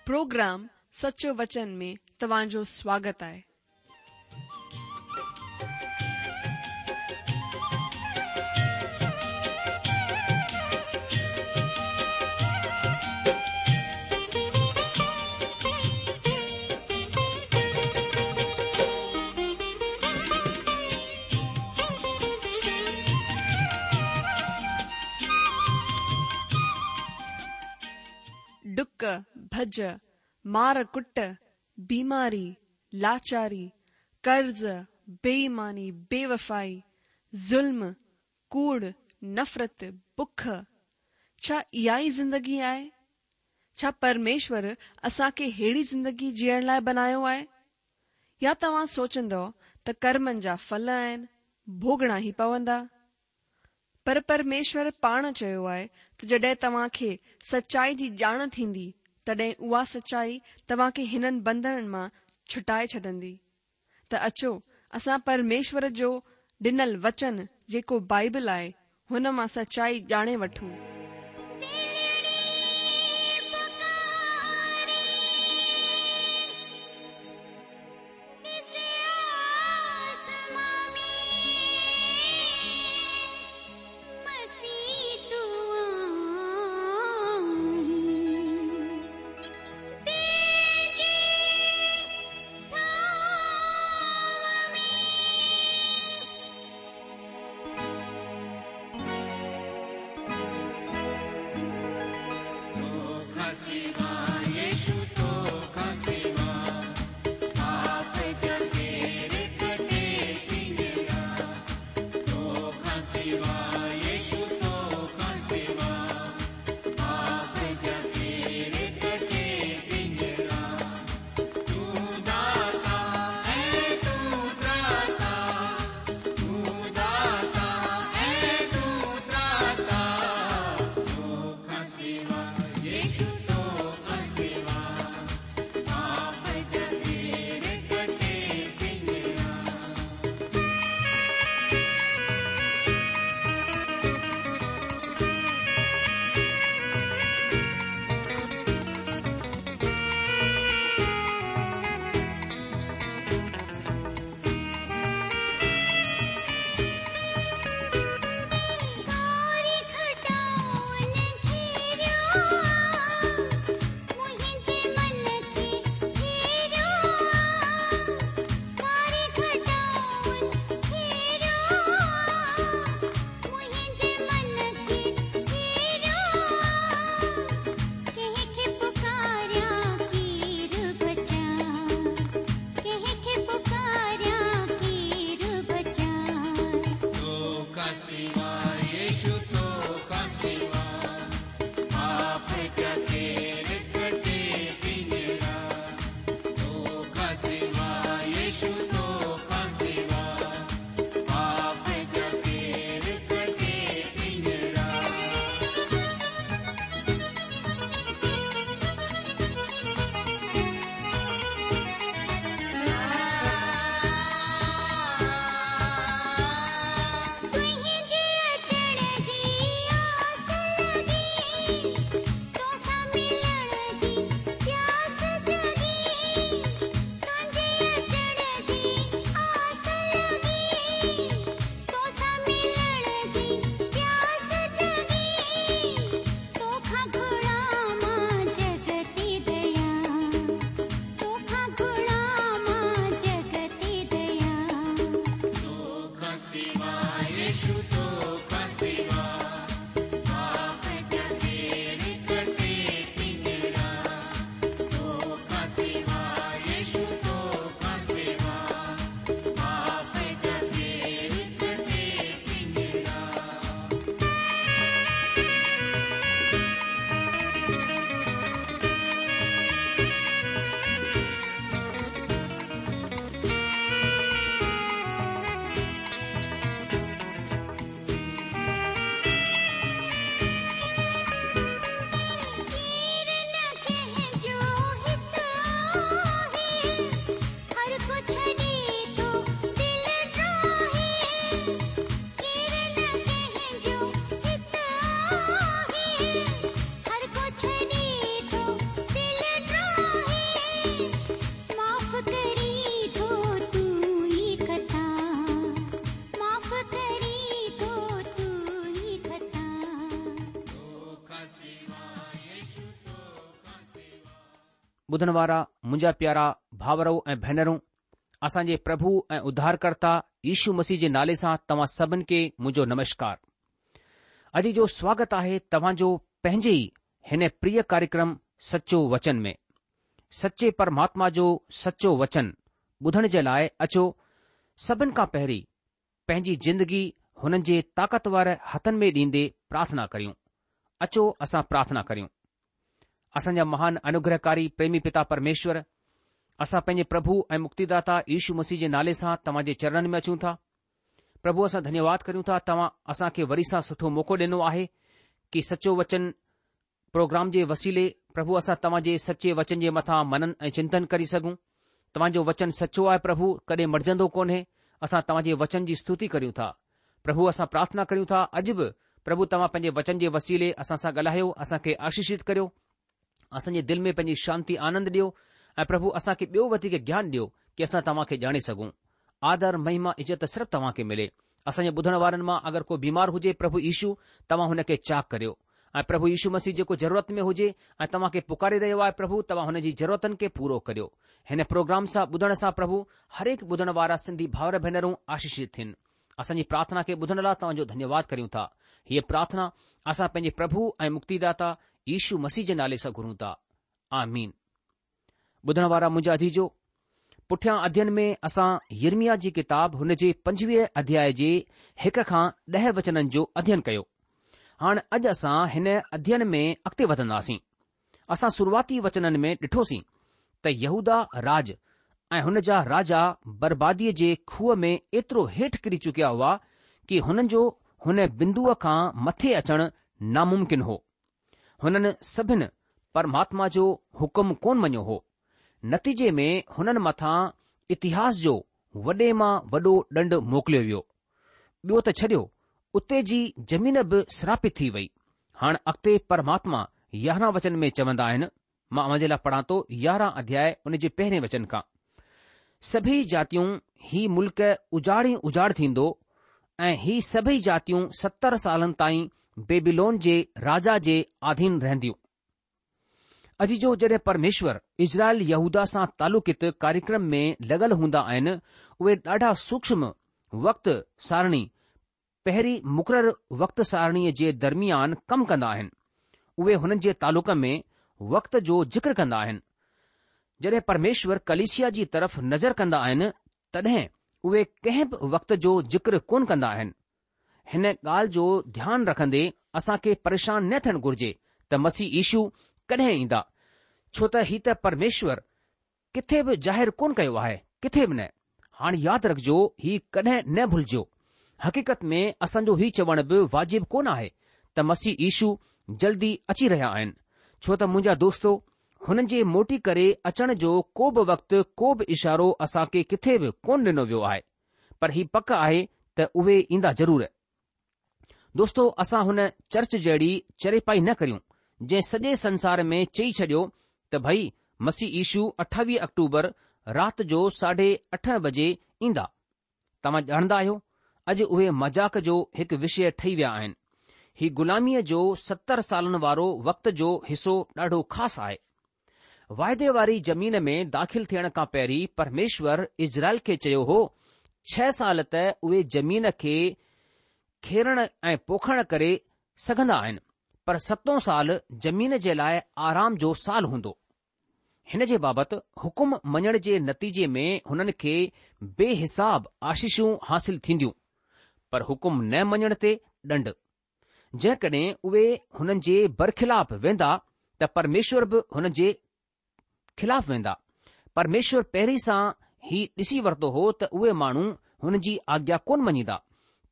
Programme سچو وچن ۾ توهان جو سواگت آهي. ڊڪ، ڀڄ، مار ڪٽ، بيماري، لاچاري، قرض، بي ايماني، بي وفائي، ظلم، ڪوڙ، نفرت، بک، ڇا اها ئي زندگي آهي؟ ڇا پرميشور اسان کي ههڙي زندگي جيئڻ لاء بنايو آهي؟ يا توهان سوچندؤ ته ڪرمن جا ڦل آهن، ڀوڳڻا ئي پوندا؟ پر پرميشور پاڻ چيو آهي ته جڏهن توهان کي سچائي جي ڄاڻ ٿيندي، تڏهن اها سچائي توهان کي هنن بنڌنن مان ڇٽائي ڇڏندي. ته اچو اسان پرميشور جو ڏنل وچن جيڪو بائيبل آهي، هن مان سچائي ڄاڻي وٺون. ٻڌڻ وارا منهنجا پيارا ڀاورو ۽ ڀينرون، اسان جي پرڀو ۽ اڌارڪرتا يشو مسيح جي نالي سان توهان سڀن کي منهنجو نمشڪار. اڄ جو سواگت آهي توهان جو پنهنجي ئي هن پريه ڪاريڪرم سچو وچن ۾. سچي پرماتما جو سچو وچن ٻڌڻ جي لاء اچو سڀن کان پهرين پنهنجي زندگي هنن جي طاقتور هٿن ۾ ڏيندي پرارٿنا ڪريون. اچو اسان پرارٿنا ڪريون. اسان جا مهان انوگرهڪاري پريمي پتا پرميشور، اسان پنهنجي پرڀو ۽ مڪتيداتا يشو مسيح جي نالي سان توهان جي چرڻن ۾ اچون ٿا. پرڀو اسان ڌنيواد ڪريون ٿا توهان اسان کي وري سان سٺو موقعو ڏنو آهي ڪي سچو وچن پروگرام جي وسيلي پرڀو اسان توهان جي سچي وچن جي مٿان منن ۽ چنتن ڪري سگهون. توهان جو وچن سچو آهي پرڀو ڪڏهن مٽجندو ڪونهي اسان توهان جي وچن جي ستوتي ڪريون ٿا. پرڀو اسان پرارٿنا ڪريون ٿا اڄ به پرڀو توهان پنهنجي وچن جي وسيلي اسان سان ڳالهايو اسان کي آشيشت ڪريو. اسان جي دل ۾ پنهنجي شانتي آنند ڏيو ۽ پرڀو اسان کي ٻيو وڌيڪ گيان ڏيو ڪي اسان توهان کي ڄاڻي سگهون. آدر، مهما، عزت صرف توهان کي ملي. اسان جي ٻڌڻ وارن مان اگر ڪو بيمار هجي پرڀو يشو توهان هن کي چاڪ ڪريو ۽ پرڀو يشو مسيح جيڪو ضرورت ۾ هجي ۽ توهان کي پڪاري رهيو آهي پرڀو توهان هن جي ضرورتن کي پورو ڪريو. هن پروگرام سان ٻڌڻ سان پرڀو هرهڪ ٻڌڻ وارا سنڌي ڀائر ڀينرون آشيشت ٿين. اسان جي پرارٿنا کي ٻڌڻ لاء توهان جو ڌنيواد ڪريون ٿا. هيء پرارٿنا اسان پنهنجي پرڀو ۽ مڪتيداتا يشو مسيح جي نالي سان گهرون ٿا. آمين. ٻڌڻ وارا منهنجا عزيزو، پٺيان اڌين ۾ اسان يرمياه جي ڪتاب هن جي پنجويهه اڌياء جي هڪ کان ڏهه وچنن جو اڌين ڪيو. هاڻ اڄ اسان هن اڌين ۾ اڳتي وڌنداسين. اسان شروعاتي وچنن ۾ ڏٺوسين ته يهوداه راڄ ۽ هن جا راجا برباديء جي کوهه ۾ ايترو هيٺ ڪري چڪيا هئا ڪي هنن جو هن بندوء کان مٿي اچڻ ناممڪن هو. هنن سڀن پرماتما جو حڪم ڪونه مڃيو هو. نتيجي ۾ هنن مٿان اتهاس جو وڏي مان وڏو ڏنڊ موڪليو ويو. ٻيو ته ڇڏيو، اتي جي زمين به سراپت ٿي وئي. هاڻ اڳتي پرماتما يارهن وچن ۾ چوندا آهن، مان اوهان جي لاء پڙهان ٿو 11 اڌياء ان جي پهرين وچن کان. سڀئي جاتيون هي ملڪ اجاڙ ئي اجاڙ ٿيندو ۽ هي سڀئي جاتيون 70 سالن تائين بيبيلون جي راجا جي آڌين رهنديون. عزيزو جڏهن پرميشور اسرائيل يهوداه سان تعلقيت ڪاريڪرم ۾ لڳل هوندا آهن اهي ڏاڍا سوڪشم وقت سارڻي پهرين مقرر وقت سارڻيء جي درميان ڪم ڪندا آهن اهي هنن جي تعلق ۾ وقت جو ذڪر ڪندا آهن جڏهن پرميشور ڪليسيا جي طرف نظر ڪندا آهن تڏهن اهي ڪنهن به وقت جو ذڪر ڪونه ڪندا آهن هن ڳالهه جو ڌيان رکندي اسان کي پريشان نه ٿيڻ گهرجي ته مسيح يشو ڪڏهن ايندا، ڇو ته هي ته پرميشور ڪٿي به ظاهر ڪونه ڪيو آهي، ڪٿي به نه. هاڻ ياد رکجو هي ڪڏهن نه ڀلجو. حقيقت ۾ اسان جو هي چوڻ به واجب ڪونه آهي ته مسيح يشو جلدي اچي رهيا آهن، ڇو ته منهنجا دوستو، هنن جي موٽي ڪري اچڻ جو ڪو به وقت ڪو به اشارو اسان کي ڪٿي به ڪونه ڏنو ويو آهي. پر هي پڪ آهي ته اهي ايندا ضرور. دوستو اسان هن چرچ جهڙي چريپائي نه ڪريون جنهن سڄي سنسار ۾ چئي ڇڏيو ته ڀئي مسيح يشو 28 آڪٽوبر رات جو ساڍي اٺ بجي ايندا. توهان ڄاڻندا آهيو اڄ اهي مذاق جو هڪ وشيه ٺهي ويا آهن. هي غلاميء جو 70 سالن وارو وقت جو حصو ڏاڍو خاص آهي. واعدي واري زمين ۾ داخل ٿيڻ کان پهرين پرميشور اسرائيل کي چيو هو، ڇهه سال ته اهي زمين کي کيڙڻ ۽ پوکڻ ڪري سگهندا آهن، پر ستون سال زمين جي لاء آرام جو سال هوندو. هن جي بابت حڪم مڃڻ جي نتيجي ۾ هنن کي بي حساب آشيشون حاصل ٿينديون، پر حڪم نه مڃڻ تي ڏنڊ. جيڪڏهن اهي هنن جي برخلاف ويندا ته پرميشور به هنن جي خلاف ويندا. پرميشور پهرين سان هي ڏسي ورتو هو ته اهي ماڻهو هن جي آگيا ڪونه مڃيندا،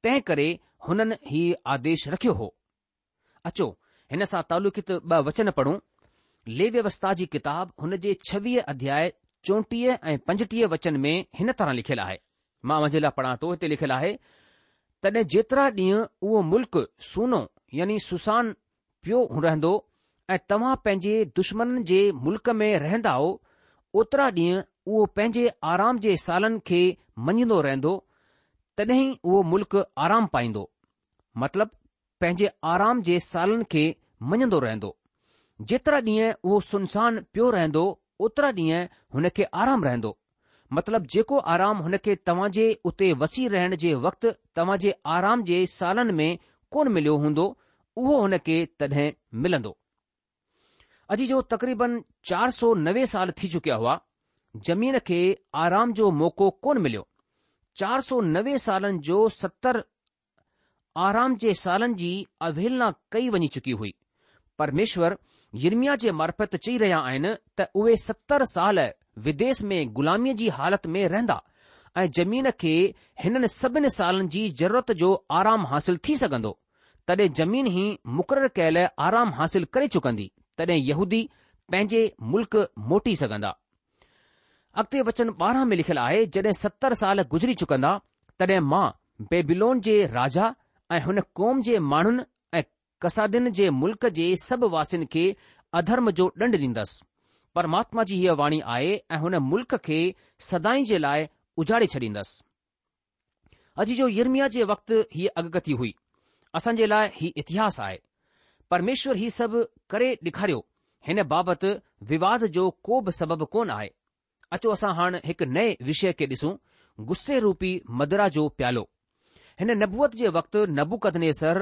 تنهن ڪري هنن هي آديش رکيو هو. اچو هن سان تعلقيت ٻه وچن پڙهون. ليويوسٿا جي ڪتاب هن جي ڇويهه اڌياء چوٽيهه ۽ پنجٽيهه وچن ۾ هن طرح لکيل آهي. مان اوهان جي لاء پڙهان ٿو، هتي لکيل آهي، تڏهن جيترا ڏينهن اهو ملڪ سونو يعني سنسان پيو رهندو ۽ توهان پنهنجي دشمنن جي ملڪ ۾ رهندائو، اوترا ڏينهن اهو پنهنجي آرام جي سالن کي مڃيندو رهندو، تڏهن ئي اهو ملڪ آرام پائيندو. مطلب پنهنجي آرام جي سالن کي مڃندو رهندو. جيترا ڏينهن اهو سنسان پيو رهندو، اوترا ڏينهن هن کي آرام رهندو. مطلب جيڪو آرام هن کي توهان جي اتي وسي رهڻ جي وقت توهان جي آرام جي سالن ۾ ڪونه مليو هوندو، اهو هن کي تڏهن ملندو. عزيزو تقريبن 490 سال ٿي چڪيا هئا، زمين کي آرام جو موقعو ڪونه مليو. 490 سالن جو 70 آرام جي سالن جي اوهيلنا ڪئي وڃي چڪي هئي. پرميشور يرمياه جي معرفت چئي رهيا آهن ته اهي 70 سال وديس ۾ غلاميء جي حالت ۾ رهندا ۽ زمين کي هنن سڀن سالن جي ضرورت جو آرام حاصل ٿي سگهندو. تڏهن زمين هي مقرر ڪيل آرام حاصل ڪري چڪندي، تڏهن يهودي پنهنجي ملڪ موٽي سگهندا. اڳتي وچن 12 ۾ لکيل آهي، جڏهن 70 سال گذري چڪندا، تڏهن مان بيبيلون جي راجا ۽ هن قوم جي ماڻهن ۽ ڪسادين جي ملڪ جي سڀ واسين کي اڌرم جو ڏنڊ ڏيندس. پرماتما جي هيء واڻي آهي ۽ هن ملڪ کي سدائين جي لاء اجاڙي ڇڏيندس. عزيزو يرمياه جي وقت هيء اڳڪٿي هئي. اسان جي لاء هي اتهاس آهي. پرميشور هي سڀ ڪري ڏيکاريو، هن بابت وواد جو ڪو به سبب ڪونه آهي. اچو اسان هاڻ هڪ نئين وشيه کي ڏسون، غصي روپي مدرا جو پيالو. هن نبوت جي وقت نبوڪدنيسر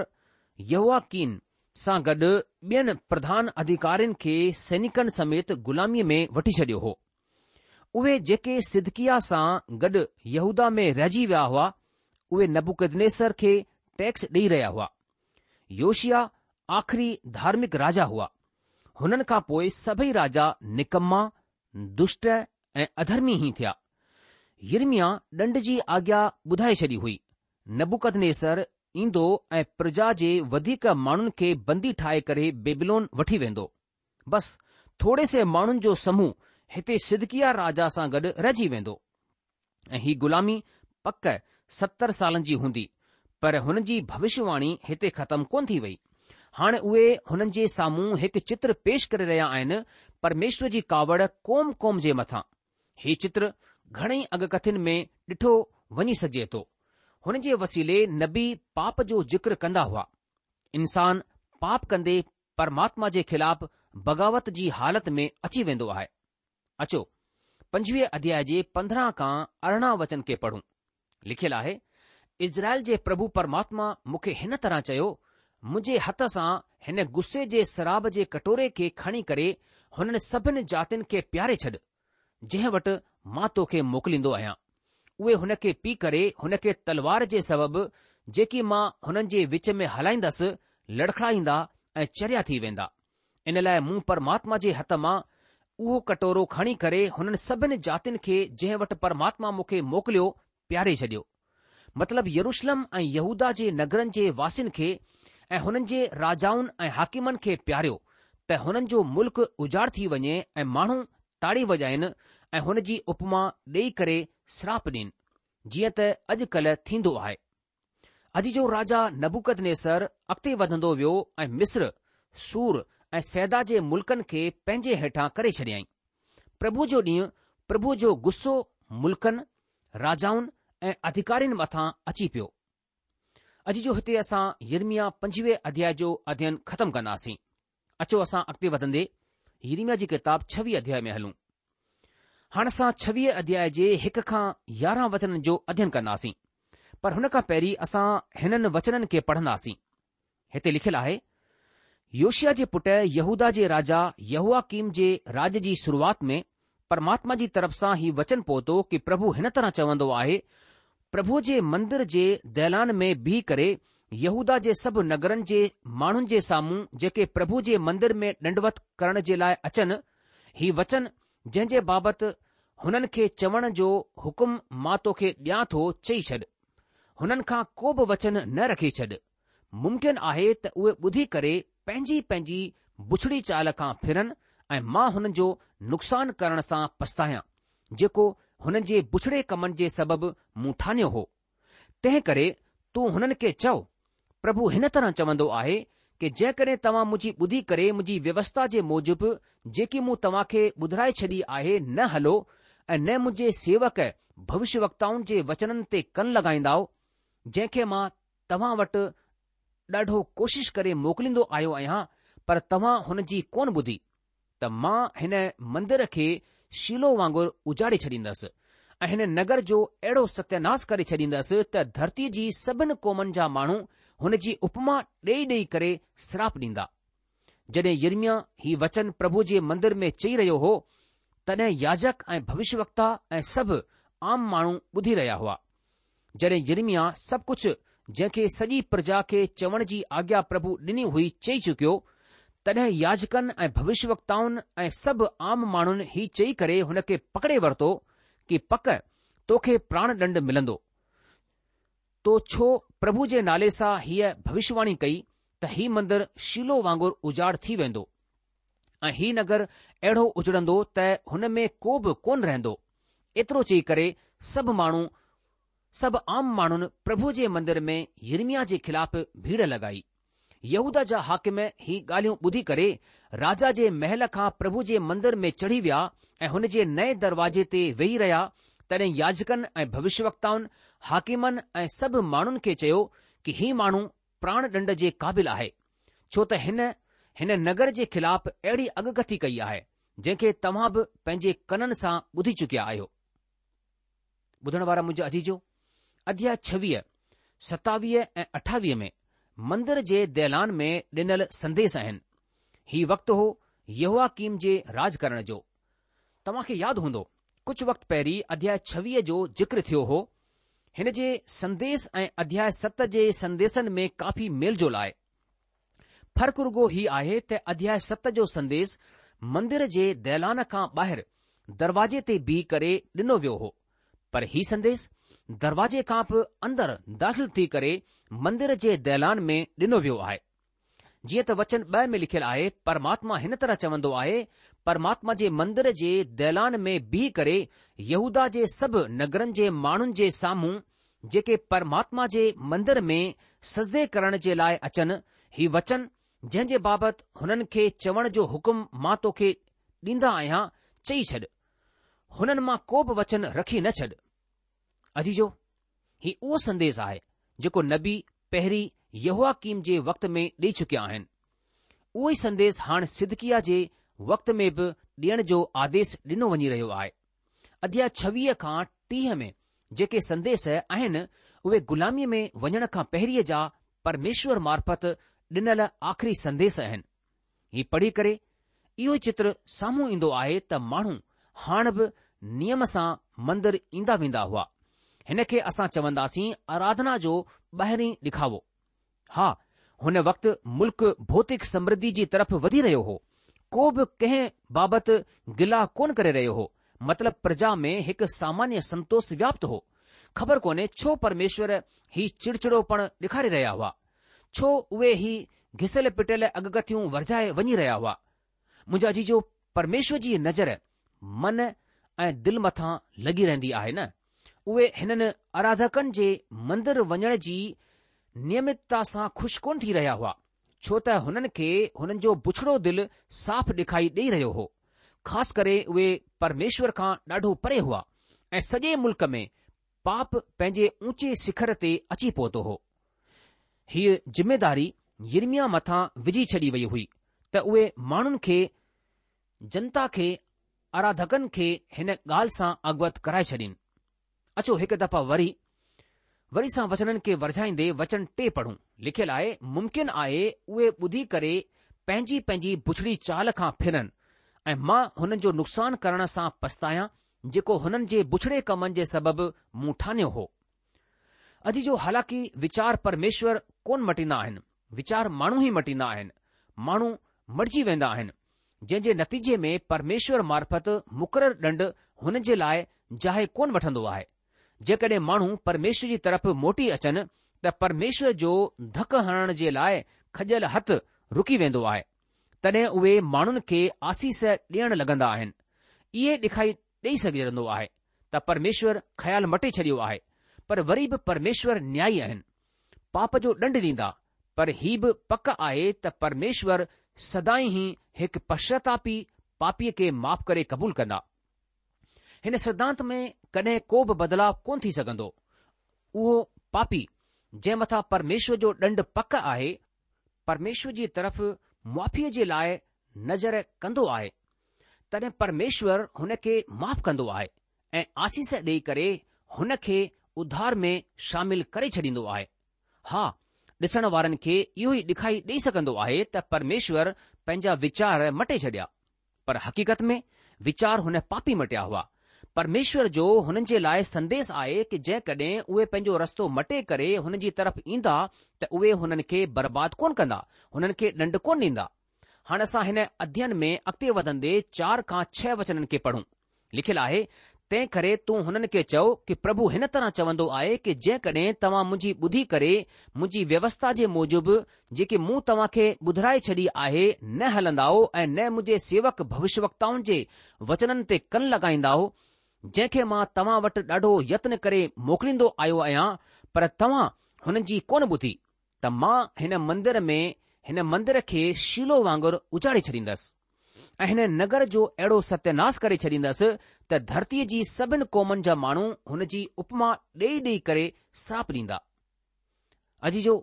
يهوياڪين سان گڏ ٻين پرڌان اڌيڪارين کي سينڪن سميت غلاميء ۾ وٺي ڇڏيو هو. اهي جيڪي صدقياه سان گڏ يهوداه ۾ رهجي ويا هئا، اهي نبوڪدنيسر کي ٽيڪس ڏيئي رهيا هئا. يوشياه آخري ڌارمڪ راجا هئا. هنن کان پوء سڀئي راجا نڪما، دشٽ ۽ اڌرمي ئي ٿيا. يرمياه ڏنڊ جي آگيا ٻڌائي ڇڏي هئي. نبوڪدنيسر ايندو ۽ پرجا جي وڌيڪ ماڻهن کي بندي ٺاهي ڪري بيبلون وٺي ويندو. بس ٿوري سي ماڻهن جو سموهه هتي صدقياه راجا سان گڏ رهجي ويندو ۽ هي غلامي پڪ 70 سالن جي هوندي، پر هن جي ڀوشيواڻي هتي ختم ڪونه ٿي وئي. هاڻ اهي هنن جي سامهون هڪ چتر پيش ڪري رهيا آهن، پرميشور جي ڪاوڙ قوم قوم جي مٿان. هي چتر گهڻئي اڳڪٿين ۾ ڏٺو وڃي سگهجي ٿو. هن جي وسيلي نبي پاپ جو ذڪر ڪندا هئا. انسان پاپ ڪندي پرماتما جي خلاف بغاوت جي حالت ۾ اچي ويندو آهي. اچو 25 اڌياء جي 15 کان 18 وچن کي پڙهون. لکيل آهي، اسرائيل جي پرڀو پرماتما مون کي هن طرح چيو، منهنجي هٿ سان هن غصي جي شراب جي ڪٽوري کي کڻي ڪري هنن سڀن جاتين کي پياري ڇڏ، جنهن وٽ مان توکي موڪليندو آهيان. اهي هن کي پي ڪري هن کي تلوار جي سبب جيڪي مان هنن جي وچ ۾ هلائيندس، لڙکڙائيندا ۽ چريا ٿي ويندا. ان لاء مون پرماتما جي هٿ مان اهو ڪٽورو کڻي ڪري هنن سڀن جاتين کي جنهن وٽ پرماتما مون کي موڪليو، پياري ڇڏيو. مطلب يروشلم ۽ يهوداه جي نگرن جي واسين کي ۽ هنن جي راجائن ۽ حاڪمن کي پياريو ته هنن جو ملڪ اجاڙ ٿي وڃي ۽ ماڻهو تاڙي وڄائين ۽ هن جي اپما ڏيئي ڪري سراپ ڏين، جيئن ته اڄ ڪلهه ٿيندو آهي. اڄ جو راجا نبوڪدنيسر اڳتي وڌندو ويو ۽ مصر، سور ۽ صيدا جي ملڪن کي پنهنجي هيٺان ڪري ڇڏيائين. پرڀوء جو ڏينهن، پرڀوء جو غصو ملڪن، راجائن ۽ اڌڪارين مٿان اچي پيو. اڄ جو هتي اسان يرمياه 25 اڌياء جو اڌيين ختم ڪنداسين. اچو اسان اڳتي وڌندي يرمياه جي ڪتاب 26 اڌياء ۾ هلون. هاڻ اسان 26 اڌياء جي هڪ کان 11 وچنن جو اڌيين ڪنداسين. پر هن کان پهرين اسان هنن وچنن کي پڙهنداسين. هتي لکيل آهي، يوشيا جي پٽ يهوداه جي راجا يهوياڪيم جي راڄ جي شروعات ۾ پرماتما جي طرف سان هي وچن پهتو ڪي پرڀو هن طرح چوندو آهي، پرڀوء جي مندر جي دالان ۾ بيهي ڪري يهوداه جي سڀ نگرن جي ماڻهن جي سامهون جيڪي پرڀو جي مندر ۾ ڏنڊوت ڪرڻ جي لاء اچن، هي وچن جنهن جي بابت هنن کي چوڻ جو حڪم مان توکي ڏيان ٿو چئي ڇڏ. هنن کان ڪو به وچن نه رکي ڇڏ. ممڪن آهي ته اهي ٻڌي ڪري پنهنجي پنهنجي بڇڙي چال کان ڦرن ۽ مان هنن جو نقصان ڪرڻ سان پڇتايان، جيڪو هنن جي بڇڙي ڪمن جي سبب مون ٺانيو هو. تنهن ڪري تون هنن کي چئو، پرڀو هن طرح چوندو آهي ڪي جيڪڏهن توهان منهنجي ٻڌي ڪري منهنجي ويوسٿا جي موجب جيڪي مون توهان کي ٻڌرائي ڇڏي آهي نه هلو ۽ نه منهنجي سيوڪ ڀوشيوڪتائن جي وچنن تي ڪن لڳائيندائو، جنهن کي مان توهان وٽ ڏاڍو ڪوشش ڪري موڪليندو آيو آهيان، پر توهان هن جي ڪونه ٻڌي. ته مان هن مندر کي شيلو وانگر اجاڙي ڇڏيندس ۽ هن نگر جو اهڙو ستياناس ڪري ڇڏيندس ته ڌرتيء جي سڀن قومن جا ماڻهو هن جي اپما ڏيئي ڏيئي ڪري سراپ ڏيندا. جڏهن يرمياه هي وچن پرڀو جي مندر ۾ چئي رهيو هو، تڏهن ياجڪ ۽ ڀوشيوڪتا ۽ سڀ عام ماڻهو ٻڌي رهيا هئا. جڏهن يرمياه سڀ ڪجهه جنهن کي سڄي پرجا کي چوڻ جي آگيا پرڀو ڏني هئي چئي چڪيو، تڏهن ياجڪن ۽ ڀوشيوڪتائن ۽ سڀ عام ماڻهن هي چئي ڪري هن کي پڪڙي ورتو ڪي پڪ توکي پراڻ ڏنڊ ملندو. تو ڇو پرڀو جي نالي سان هيء ڀوشيواڻي ڪئي ته هي مندر شيلو وانگر اجاڙ ٿي ويندو ۽ هي نگر اهڙو اجڙندو ته هن ۾ ڪو به ڪونه رهندو. ايترو چئي ڪري سڀ ماڻهو سڀ عام ماڻهن پرڀو جي مندر ۾ يرمياه جي خلاف ڀيڙ لڳائي. يهوداه جا حاڪم هي ڳالهيون ٻڌي ڪري راجا جي محل کان پرڀو جي مندر ۾ چڙهي ويا ۽ هن جي نئين دروازي تي ويهي رهيا، تڏهن ياجڪن ۽ ڀوشيوڪتائن، حاڪمن ۽ سڀ ماڻهن کي چيو ڪي هي ماڻهو پراڻ ڏنڊ جي قابل آهي، ڇو ته هن هن نگر جي خلاف اهڙي اڳڪٿي ڪئي آهي، جنهن کي توهان به پنهنجي ڪنن سان ٻڌي چڪيا آهيو. ٻڌڻ وارا منهنجا عزيزو، اڌياء 26، 27 ۽ 28 ۾ مندر جي ديلان ۾ ڏنل سنديس آهن. هي وقت هو يهوياڪيم جي راڄ ڪرڻ جو. توهان کي ياد هوندو، ڪجهه وقت پهرين اڌياء 26 جو ذڪر ٿيو هو. هن جي سنديس ۽ اڌياء 7 جي سنديسن ۾ ڪافي ميل جول آهي. فرق رڳو هي آهي ته اڌياء 7 جو سنديس مندر جي ديلان کان ٻاهر دروازي تي بيهي ڪري ڏنو ويو هو، پر هي سنديس دروازي کان به اندر داخل ٿي ڪري مندر جي ديلان ۾ ڏنو ويو آهي. جيئن ته وچن 2 ۾ لکيل آهي، پرماتما هن طرح چوندو آهي، پرماتما جي مندر جي ديلان ۾ بيهي ڪري يهوداه جي سڀ نگرن جي ماڻهن جي سامهون جيڪي پرماتما جي مندر ۾ سجدي ڪرڻ جي لاء اچن، هي وچن جنهن جي بابت هنن کي چوڻ جو حڪم مان توکي ڏيندا آهيان، چئي ڇڏ. هنن مان ڪو به وچن رکي نه ڇڏ. عزيزو! هي اهو سنديس آهي، جيڪو نبي پهرين يهوياڪيم جي وقت ۾ ڏئي چڪيا آهن. اهو ئي سنديس هاڻ صدقياه جي وقت ۾ به ڏيڻ جو آديش ڏنو وڃي رهيو آهي. اڌياء 26 کان 30 ۾ جيڪي سنديس آهن، اهي غلاميء ۾ وڃڻ کان پهرين جا پرميشور معرفت ڏنل آخري سنديس آهن. هي پڙهي ڪري اهو ئي چتر سامهون ايندو آهي ته ماڻهو هاڻ به نيم سان مندر ايندا ويندا هئا. هن کي اسان چونداسين آراڌنا جو ٻاهرين ڏکاوو. ها، هن وقت ملڪ ڀوتڪ سمرڌي جي طرف وڌي رهيو هو. ڪو به ڪنهن بابت گلا ڪونه ڪري رهيو هو، مطلب پرجا ۾ هڪ سامانيه سنتوش وياپت هو. خبر ڪونهي ڇو پرميشور هي چڙچڙوپڻ ڏيکاري رهيا هئا؟ ڇو اهي هي گهسيل پٽيل اڳڪٿيون ورجائي وڃي رهيا هئا؟ منهنجا عزيزو پرميشور جي نظر من ۽ دل مٿان لڳي رهندي آهي نه؟ اهي هنن آراڌڪن جي مندر وڃڻ جي نيمتتا سان خوش ڪونه ٿي رهيا هئا، ڇو ته هنن کي هنن جو بڇڙو دل صاف ڏکائي ڏئي رهيو هو. خاص ڪري اهي پرميشور کان ڏاڍو پري هئا ۽ سڄي ملڪ ۾ پاپ پنهنجي اونچي شکر تي اچي پهتو هو. هيء ذميداري يرمياه مٿان وجهي ڇڏي وئي هئي ته اهي ماڻهن کي، جنتا کي، آراڌڪن کي هن ڳالهه سان اوگت ڪرائي ڇڏين. اچو هڪ دفعا وري وري سان وچنن کي ورجائيندي وچن ٽي پڙهون. لکيل آهي، ممڪن آهي اهي ٻڌي ڪري پنهنجي پنهنجي بڇڙي چال کان ڦرن ۽ مان هنن جو نقصان ڪرڻ سان پڇتايان جيڪو هنن جي بڇڙي ڪمن جي سبب مون ٺانيو هو. عزيزو حالانڪه ويچار پرميشور ڪونه مٽيندا آهن، ويچار ماڻهو ئي مٽيندا آهن، ماڻهو مٽجي ويندا آهن، جنهن جي نتيجي ۾ پرميشور معرفت مقرر ڏنڊ هن جي لاء جاء ڪونه وٺندو آهي. جيڪڏهن ماڻهو پرميشور جي طرف موٽي اچن ته پرميشور جو ڌڪ هڻڻ جي لاء کڄيل هٿ رڪي ويندو آهي. تڏهن اهي ماڻهن کي آسيس ڏيڻ لڳندا آهن. اهي ڏکائي ڏئي سگهندو آهي ته پرميشور خيال مٽي ڇڏيو آهي، پر وري به پرميشور نيائي آهن. پاپ جو ڏنڊ ڏيندا، پر هي به پڪ آهي ته پرميشور سدائين ئي هڪ پشچاتاپي پاپيء کي معاف ڪري قبول ڪندا. هن سڌانت ۾ ڪڏهن ڪو به بدلاء ڪونه ٿي سگهندو. اهو پاپي، جنهن مٿان پرميشور جو ڏنڊ پڪ آهي، پرميشور جي طرف معافيء جي لاء نظر ڪندو آهي. تڏهن پرميشور هن کي معاف ڪندو آهي ۽ آسيس ڏيئي ڪري هن کي اڌار ۾ شامل ڪري ڇڏيندو آهي. ها، ڏسڻ وارن کي اهو ئي ڏکائي ڏئي سگهندو آهي ته پرميشور پنهنجا ويچار مٽي ڇڏيا. پر حقيقت ۾ ويچار هن پاپي مٽيا هئا. پرميشور جو هنن جي لاء سنديس آهي ڪه جيڪڏهن اهي پنهنجو رستو مٽي ڪري هن جي طرف ايندا ته اهي هنن کي برباد ڪونه ڪندا، هنن کي ڏنڊ ڪونه ڏيندا. هاڻ اسان هن اڌيين ۾ اڳتي وڌندي چار کان ڇهه وچنن کي پڙهون. لکيل آهي، تنهن ڪري تون هنن کي چئو ڪه پرڀو هن طرح چوندو آهي ڪه جيڪڏهن توهان منهنجي ٻڌي ڪري منهنجي ويوسٿا جي موجب جيڪي مون توهان کي ٻڌرائي ڇڏي آهي نه هلندائو ۽ نه منهنجي سيوڪ ڀوشيوڪتائن جي وچنن تي ڪن لڳائيندائو جنهن کي مان توهان وٽ ڏاڍو يتن ڪري موڪليندو آيو آهيان پر توهان هنن جي ڪونه ٻڌي ته مان هن مندر ۾ هن مندر کي شيلو وانگر اجاڙي ڇڏيندس. ۽ هن نگر جو اهڙو ستياناس ڪري ڇڏيندس ته ڌرتيء جي سڀن قومن جا ماڻهو هن جي اپما ڏيئي ڏيئي ڪري سراپ ڏيندا. عزيزو!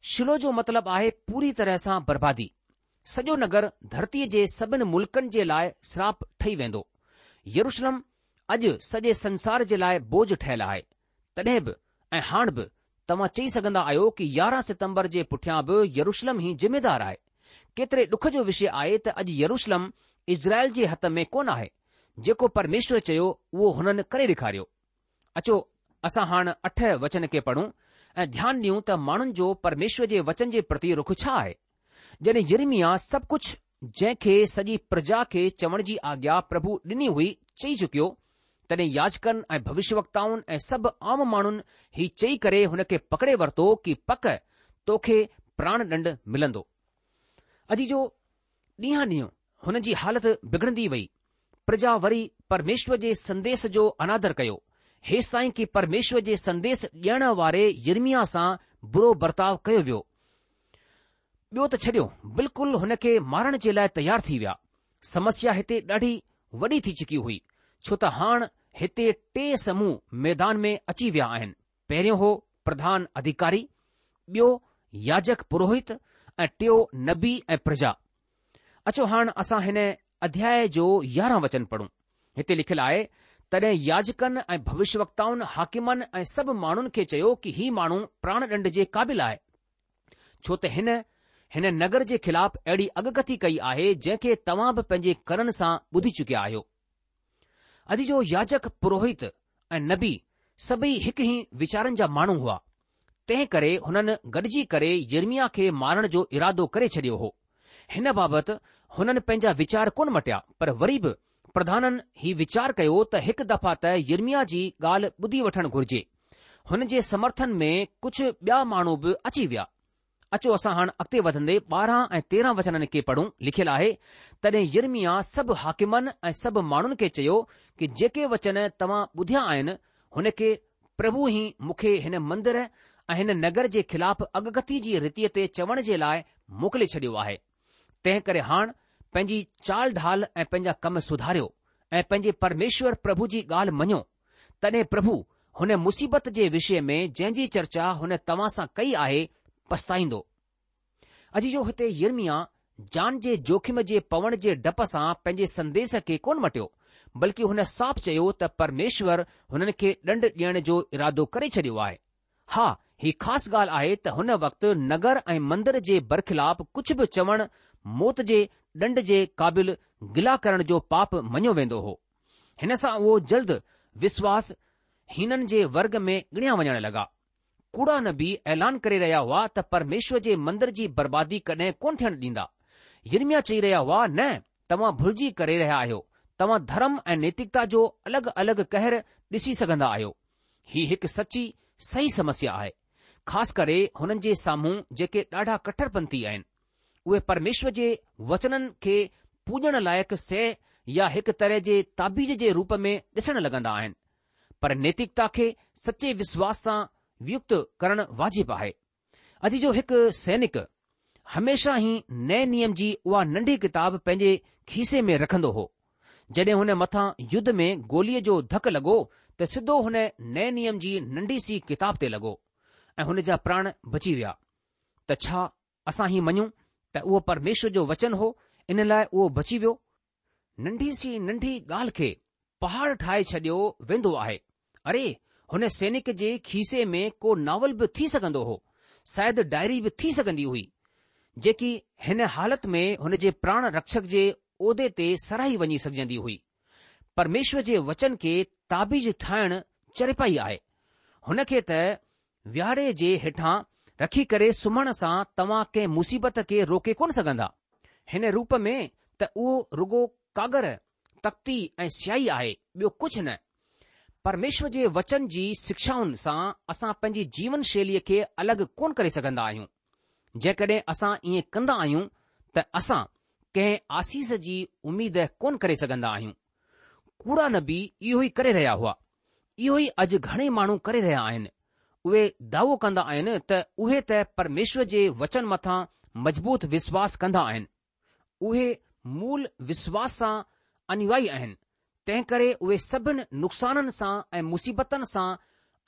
شيلو جو مطلب آهي پوري طرح سان بربادي. سڄو نگر ڌرتيء جي سڀن ملڪن جي لاء سراپ ٺهي ويندو. يروشلم اڄ سڄي سنسار جي لاء بوجه ٺهيل آهي. تڏهن به ۽ هاڻ به توهان چئي سگهندا آهيو ڪه 11 ستمبر جي پٺيان به يروشلم ئي ذميدار آهي. ڪيتري ڏک جو وشي آهي ته اڄ يروشلم اسرائيل جي هٿ ۾ ڪونه آهي. جيڪو پرميشور چيو اهو هنن ڪري ڏيکاريو. اچو اسان هاڻ اٺ وچن کي پڙهون ۽ ڌيان ڏيون ته ماڻهن جو پرميشور جي وچن جي پرتي رخ ڇا آهي. جڏهن يرمياه سڀ ڪجهه جنهن کي سڄي پرجا کي چوڻ جي آگيا پرڀو ڏني هئي چئي چڪيو، تڏهن ياجڪن ۽ ڀوشيوڪتائن ۽ سڀ عام ماڻهن هي چئي ڪري هن کي پڪڙي ورتو ڪي پڪ توکي پراڻ ڏنڊ ملندو. عزيزو، ڏينهان ڏينهن هن جي حالت بگڙندي وئي. پرجا وري پرميشور جي سنديس جو انادر ڪيو، هيستائين ڪي پرميشور جي سنديس ڏيڻ واري يرمياه سان برو برتاء ڪيو ويو. ٻيو ته ڇڏيو، بلڪل هن کي مارڻ جي لاء تيار ٿي ويا. سمسيا هتي ڏاڍي وڏي ٿي چڪي هئي، ڇو ته هاڻ هتي ٽي سموهه ميدان ۾ اچي ويا آهن، پهريون هو پرڌان اڌيڪاري، ٻيو ياجڪ پروهت ۽ ٽيو نبي ۽ پرجا. اچو هاڻ اسان هن اڌياء جو 11 وچن پڙهون. هتي لکيل آهي، تڏهن ياجڪن ۽ ڀوشيوڪتائن حاڪمن ۽ سڀ ماڻهن کي چيو ڪي هي ماڻهو پراڻ ڏنڊ جي قابل آهي. ڇو ته هن هن نگر جي خلاف اهڙي اڳڪٿي ڪئي آهي جنهن کي توهان به پنهنجي ڪنن سان ٻڌي چڪيا آهيو. عزيزو ياجڪ، پروهت ۽ نبي سڀئي هڪ ئي ويچارن جا ماڻهو هئا، تنهن ڪري هنن گڏجي ڪري يرمياه کي مارڻ جو ارادو ڪري ڇڏيو هو. هن بابت هنن پنهنجا ويچار ڪونه مٽيا، پر وري به پرڌانن هي ويچار ڪيو ته هڪ دفعا ته يرمياه جي ڳالهه ٻڌي وٺڻ گهرجي. هن جي سمرٿن ۾ ڪجهه ٻيا ماڻهو به اچي ويا. اچو اسان هاڻ اڳتي وڌندي 12 ۽ 13 وچنن کي پڙهون، لکيل آهي، تڏهن يرمياه سڀ حاڪمن ۽ سڀ ماڻهن کي چيو ڪي جيڪي وچن توهان ٻڌيا آهن، هن کي پرڀو ئي مون کي هن مندر ۽ هن نگر جي خلاف اڳڪٿي جي ريتيء تي چوڻ جي لاء موڪلي ڇڏيو آهي. تنهن ڪري هاڻ پنهنجي چال ڍال ۽ پنهنجا ڪم سڌاريو ۽ پنهنجي پرميشور پرڀو جي ڳالهه مڃو. تڏهن پرڀو هن مصيبت جي وشي ۾ جنهن جي چرچا هن توهان سان ڪئي آهي، پڇتائيندو. عزيزو هتي يرمياه جان جي جوکم جي پوڻ جي ڊپ سان پنهنجي سنديس کي ڪونه مٽيو، بلڪه هن صاف چيو ته پرميشور هنن کي ڏنڊ ڏيڻ جو ارادو ڪري ڇڏيو آهي. ها، هي خاص ڳالهه آهي ته هن وقت نگر ۽ مندر جي برخلاف ڪجهه به چوڻ موت جي ڏنڊ جي قابل گلا ڪرڻ جو پاپ مڃيو ويندو هو. هن سان اهو جلد وسواس هينن جي ورگ ۾ ڳڻيا وڃڻ لڳا. ڪوڙا نبي اعلان ڪري رهيا هئا ته پرميشور جي مندر جي بربادي ڪڏهن ڪونه ٿيڻ ڏيندا. يرمياه چئي رهيا هئا، نه، توهان ڀلجي ڪري رهيا آهيو. توهان ڌرم ۽ نيتڪتا جو الڳ الڳ قهر ڏسي سگهندا آهيو. هي هڪ سچي صحيح سمسيا آهي، خاص ڪري هنن جي سامهون جيڪي ڏاڍا ڪٽرپنٿي آهن. اهي پرميشور جي وچنن کي پوڄڻ لائق شيء يا هڪ طرح جي تعويذ جي روپ ۾ ڏسڻ لڳندا آهن. پر نيتڪتا کي سچي وسواس سان ويڪت ڪرڻ واجب آهي. عزيزو هڪ سينڪ هميشه ئي نئين نيم جي اها ننڍي ڪتاب پنهنجي کيسي ۾ رکندو هو. جڏهن هن مٿان يڌ ۾ گوليء جو ڌڪ لڳو ته سڌو هن نئين نيم جي ننڍي سي ڪتاب تي لڳو ۽ هن جا پراڻ بچي ويا. ته ڇا اسان هي مڃون ته اهو پرميشور جو وچن هو ان لاء اهو بچي ويو؟ ننڍي سي ننڍي ڳالهه کي پهاڙ ٺاهي ڇڏيو ويندو آهي. اري، هن سينڪ جي کيسي ۾ ڪو ناول به ٿي سگهندو هو، شايد ڊائري به ٿي سگهندي هئي، جيڪي هن حالت ۾ هن جي پراڻ رڪشڪ جي عهدي تي ساراهي وڃي سگهجندي هئي. پرميشور جي وچن کي تعويذ ٺاهڻ چريپائي آهي. هن کي ته وياڙي جي هيٺان رکي ڪري سمهڻ سان توهان ڪنهن مصيبت کي روڪي ڪونه سگهندا. هن روپ ۾ ته اهو رڳو ڪاڳر، تختي ۽ سياهي آهي، ٻيو ڪجهه نه. پرميشور جي وچن جي شڪشائن سان اسان پنهنجي جيون شيليء کي الڳ ڪونه ڪري سگهندا آهيون. جيڪڏهن اسان ائين ڪندا آهيون ته اسان ڪنهن آسيس جي اميد ڪونه ڪري سگهندا آهيون. ڪوڙا نبي اهو ئي ڪري رهيا هئا. اهو ئي اڄ گهڻي ماڻهو ڪري رهيا آهن. اهي دعوو ڪندا آهن ته اهي ته پرميشور جي وچن مٿان مضبوط وشواس ڪندا آهن. اهي مول وشواس سان انويائي آهن، تنهنڪري اهي سڀن نقصانن سان ۽ مصيبتن سان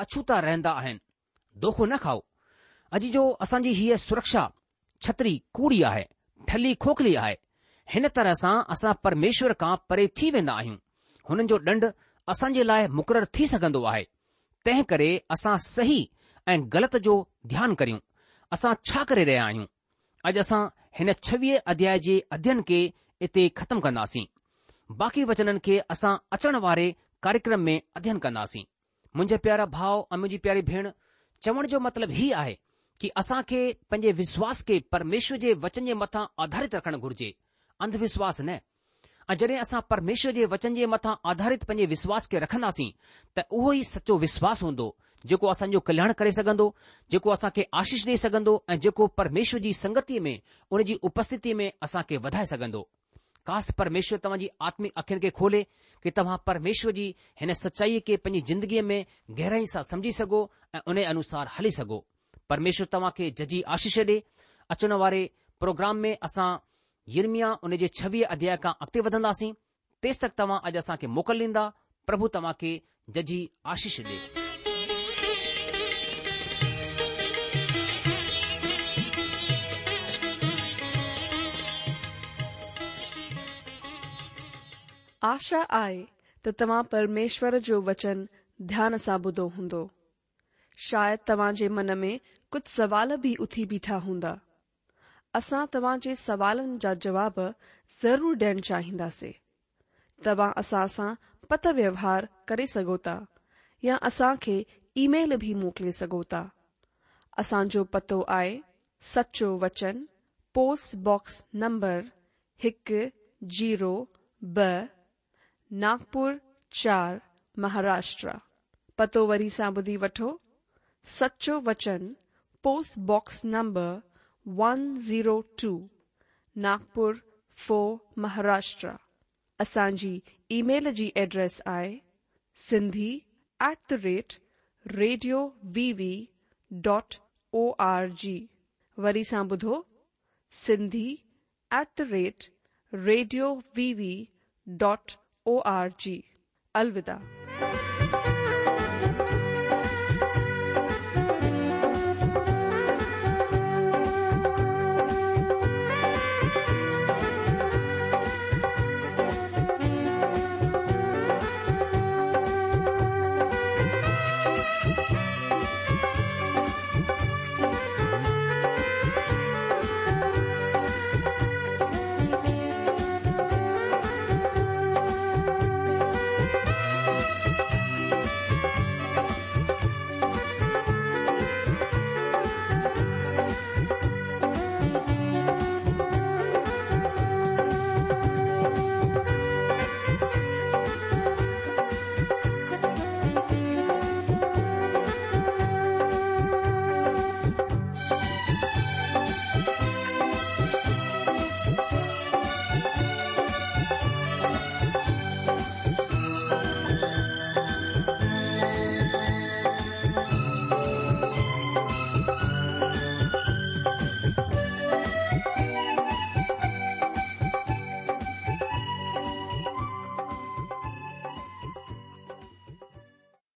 اڇوتا رهندا آهن. دوکو نه کائو. عزيزو اسان جي هيء سرڪشا ڇتري ڪوڙي آهي، ٺلهي کوکلي آهي. هن طرح سان اسان پرميشور کان پري ٿي ويندا آهيون. هنن جو ڏنڊ اسان جي لاء مقرر ٿي سگهندو آهي. تنهن ڪري اسان صحيح ۽ غلط جو ڌيان ڪريون. اسان ڇا ڪري رهيا آهيون؟ اڄ اسان هن ڇويهه اڌياء جي اڌيين کي اتي ختم ڪنداسين. باقي وچنن کي اسان اچڻ واري ڪاريڪرم ۾ اڌيين ڪنداسين. منهنجا پيارا ڀاء ۽ منهنجي پياري ڀيڻ، چوڻ جو مطلب هي آهي ڪي اسان کي پنهنجي وشواس کي پرميشور جي وچن جي مٿان آڌارت رکڻ گهرجي، انڌ وشواس نه. ۽ جڏهن اسان پرميشور جي وچن جي مٿان آڌارت پنهنجي وشواس کي رکنداسين ته اهو ئي سچو وشواس هوندو جيڪو اسان جو ڪلياڻ ڪري سگهندو، جيڪو اسان کي آشيش ڏئي سگهندو ۽ جيڪو پرميشور جي سنگتيء ۾ ان جي اپسٿتيء ۾ اسان کي وڌائي سگهندو. ڪاش پرميشور توهان جي آتمڪ اکين کي کولي ڪي توهان پرميشور جي هن سچائيء کي پنهنجي زندگيء ۾ گهرائي سان سمجهي سگهو ۽ ان انوسار هلي سگهو. پرميشور توهان کي ججهي آشيش ڏي. اچڻ واري پروگرام ۾ اسان يرمياه ان جي ڇويهه اڌياء کان اڳتي وڌنداسين. تيستڪ توهان اڄ اسان کي موڪل ڏيندا. پرڀو توهان کي ججهي آشيش ڏي. آشا آهي ته توهان پرميشور جو وچن ڌيان سان ٻڌو هوندو. شايد توهان جي من ۾ ڪجهه سوال به اٿي بيٺا هوندا. اسان توهان جي سوالن جا جواب ضرور ڏيڻ چاهينداسي. توهان اسان سان پتر ويوهار ڪري سگهو ٿا يا اسان کي اي ميل به موڪلي سگهو ٿا. اسان جو پتو آهي سچو وچن پوسٽ باڪس نمبر هڪ زيرو ٻه ناگپور چار مهاراشٽرا. پتو وري سان ٻڌي وٺو سچو وچن post box number one zero two Nagpur four Maharashtra. اسان جي اي ميل جي ايڊريس آهي Sindhi at the rate radio V V dot O R G وري سان ٻڌو Sindhi at the rate radio V V dot O R G الوداع.